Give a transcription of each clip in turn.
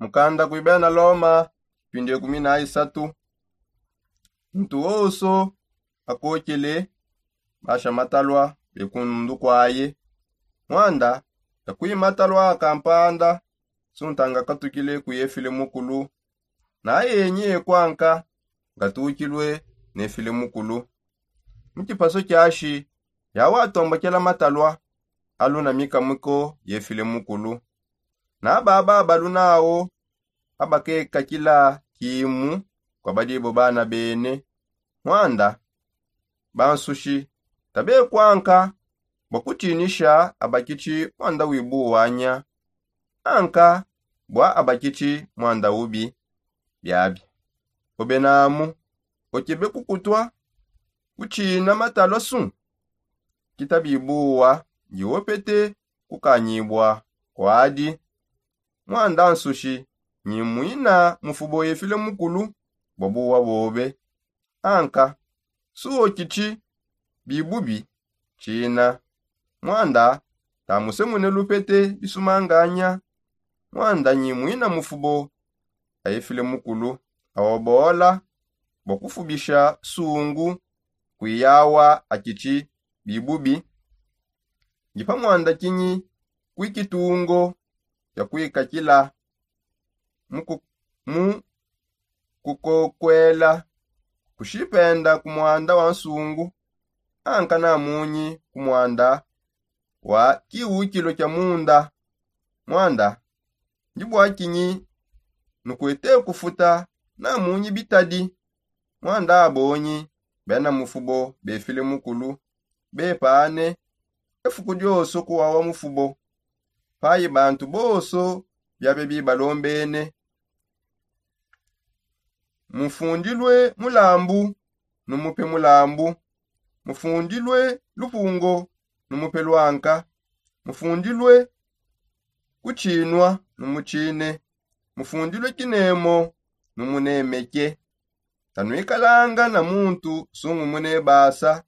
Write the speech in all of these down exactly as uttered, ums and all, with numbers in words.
Mukanda kui bena loma, mpindi ekumi na isatu. Muntu woso akokele basha matalwa bekunundu kwaye. Mwanda yakui matalwa akampanda suntanga katukile kuyefile mukulu. Naye enyi ekwanka ngatukilwe nefile mukulu. Mu kipaso kiashi yawa atombokela matalwa aluna mikamiko yefile mukulu. Na baba abalunawo abakekakila kimu kwa badibo bana bene. Mwanda bansushi tabekwanka bwa kutinisha abakiti mwanda wibuwanya anka bwa abakiti mwanda ubi. Biabi obe namu okebe kukutwa kutina matalwa su kita bibuwa ndi opete kukanyibwa kwadi. Mwanda nsushi nyi mwina mufubo efile mukulu bwa buwa bobe. Anka suwo kiti bibubi kina mwanda tamusemune lupete bisumanganya. Mwanda nyi mwina mufubo aefile mukulu aobola bwa kufubisha sungu kwiyawa akiti bibubi. Ndi pa mwanda kinyi kwi kitungo kya kwikakila mu kukokwela kushipenda ku mwanda wa nsungu anka namunyi ku mwanda wa kiwukilo kya munda. Mwanda ndi bwa kinyi nukwete kufuta namunyi bitadi. Mwanda abonyi bena mufubo befile mukulu bepane efuku dioso kuwawa mufubo payi bantu boso biabe bibalombene. Mufundilwe mulambu numupe mulambu. Mufundilwe lupungo numupe lwanka. Mufundilwe kuchinwa numuchine. Mufundilwe kinemo numunemeke. Tanwikalanga na muntu sungumune basa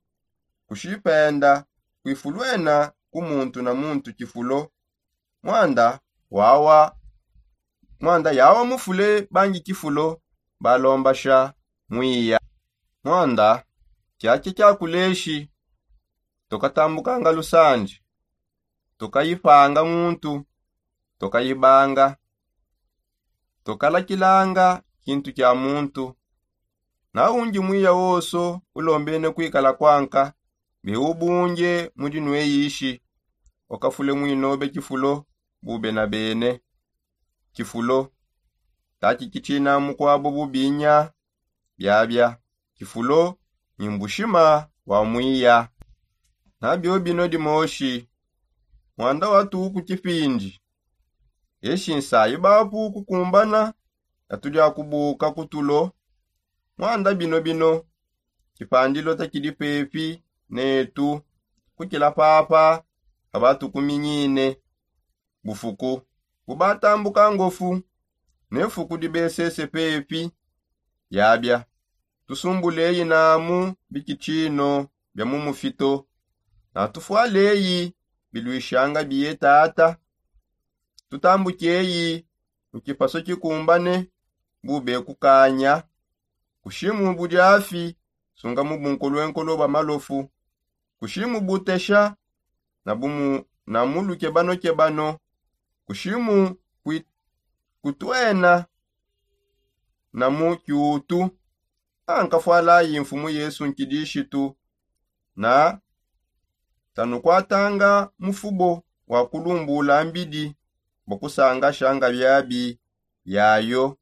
kushipenda kwifulwena ku muntu na muntu kifulo. Mwanda wawa mwanda yawa mufule bangi kifulo balombasha mwiya. Mwanda kyakye kyakuleshi tokatambukanga lusandi tokayipanga muntu tokayibanga tokalakilanga kintu kya muntu. Na ungi mwiya woso ulombene kwikala kwanka biubunge mudi nweyishi okafule mwinobe kifulo bube na bene. Kifulo taki kitina mukwabo bubinya. Biabia kifulo ni mbushima wa mwiya. Na bio bino dimoshi mwanda watu ku kipindi eshi nsayi bapu kukumbana yatudia kubuka kutulo. Mwanda bino bino kipandilo takidi pepi netu kukila papa abatukuminyine. Bufuku bubatambuka ngofu ne fuku dibesese pepi. Yabia tusumbuleyi namu bikitshino bia mu mufito na tufwaleyi bilwishanga biye tata. Tutambukeyi mu kipaso kikumbane bube kukanya kushimu budiafi sunga mu bunkolwenkolo bwa malofu kushimu butesha na bumu na mu lukebanokebano kushimu kutwena na mu kiutu. Ankafwalayi mfumu yesu nkidishitu na tanukwatanga mufubo wa kulumbula mbidi bwa kusanga shanga biabi yayo.